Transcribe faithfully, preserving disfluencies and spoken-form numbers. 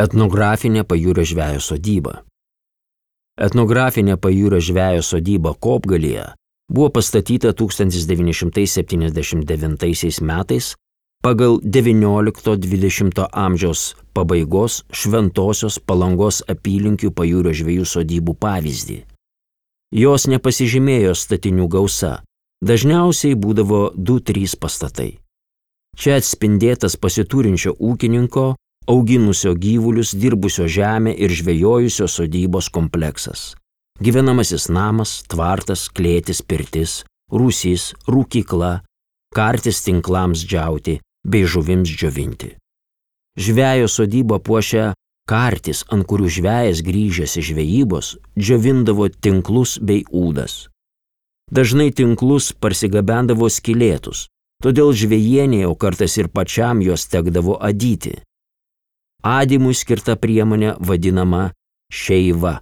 Etnografinė pajūrio žvejo sodyba. Etnografinė pajūrio žvejo sodyba Kopgalyje buvo pastatyta tūkstantis devyni šimtai septyniasdešimt devintaisiais metais pagal devyniolikto dvidešimto amžiaus pabaigos Šventosios Palangos apylinkių pajūrio žvejų sodybų pavyzdį. Jos nepasižymėjo statinių gausa, dažniausiai būdavo du trys pastatai. Čia atspindėtas pasiturinčio ūkininko, auginusio gyvulius, dirbusio žemę ir žvejojusio sodybos kompleksas. Gyvenamasis namas, tvartas, klėtis, pirtis, rūsys, rūkykla, kartis tinklams džiauti bei žuvims džiovinti. Žvejo sodybą puošia kartis, ant kurių žvejas grįžęs iš žvejybos džiovindavo tinklus bei ūdas. Dažnai tinklus parsigabendavo skylėtus, todėl žvejėnė, o kartais ir pačiam juos tekdavo adyti. Adymui skirta priemonė vadinama šeiva.